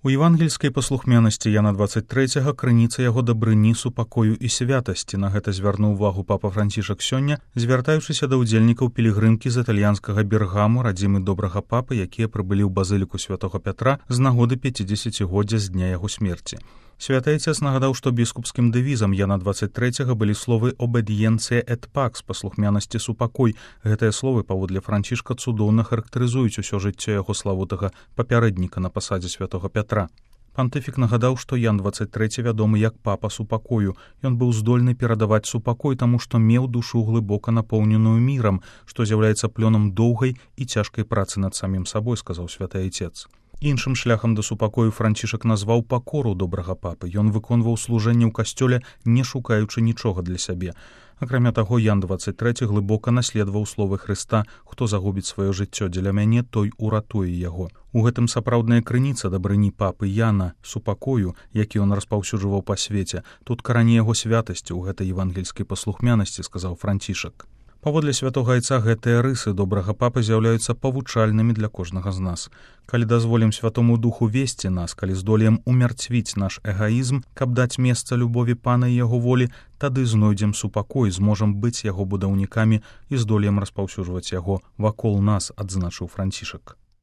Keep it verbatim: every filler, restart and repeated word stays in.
У евангельскай паслухмянасці Яна дваццаць трэцяга крыніца яго дабрыні, супакою і святасці. На гэта звярнуў увагу папа Францішак сёння, звяртаючыся да ўдзельнікаў пілігрымкі з італьянскага Бергаму, радзімы добрага папы, якія прыбылі ў базыліку святога Пятра з нагоды пяцідзесяцігоддзя з дня яго смерці. Святы Айцец нагадаў, што біскупскім дэвізам Яна дваццаць трэцяга былі словы «обедіенцыя et pax» – паслухмянасці, супакой. Гэтыя словы, паводле Францішка, цудоўна характарызуюць усё жыццё яго славутага папярэдніка на пасадзе святога Пятра. Пантыфік нагадаў, што Ян дваццаць трэці вядомы як папа супакою. Ён быў здольны перадаваць супакой, таму што меў душу глыбока напоўненую мірам, што з'яўляецца плёнам доўгай і цяжкай працы над самім сабой, сказаў святы Айцец. Іншым шляхам да супакою Францішак назваў пакору добрага папы. Ён выконваў служэнне ў касцёле, не шукаючы нічога для сябе. Акрамя таго, Ян дваццаць трэці глыбока наследаваў словы Хрыста: «Хто загубіць сваё жыццё дзеля мяне, той уратуе яго». У гэтым сапраўдная крыніца дабрыні папы Яна, супакою, які ён распаўсюджваў па свеце. Тут карані яго святасці ў гэтай евангельскай паслухмянасці, сказаў Францішак. Паводле святога Айца гэтыя рысы добрага папы з'яўляюцца павучальнымі для кожнага з нас. Калі дазволім Святому Духу весці нас, калі здолеем умярцвіць наш эгаізм, каб даць месца любові Пана і яго волі, тады знойдзем супакой, зможам быць яго будаўнікамі і здолеем распаўсюджваць яго вакол нас, адзначыў Францішак.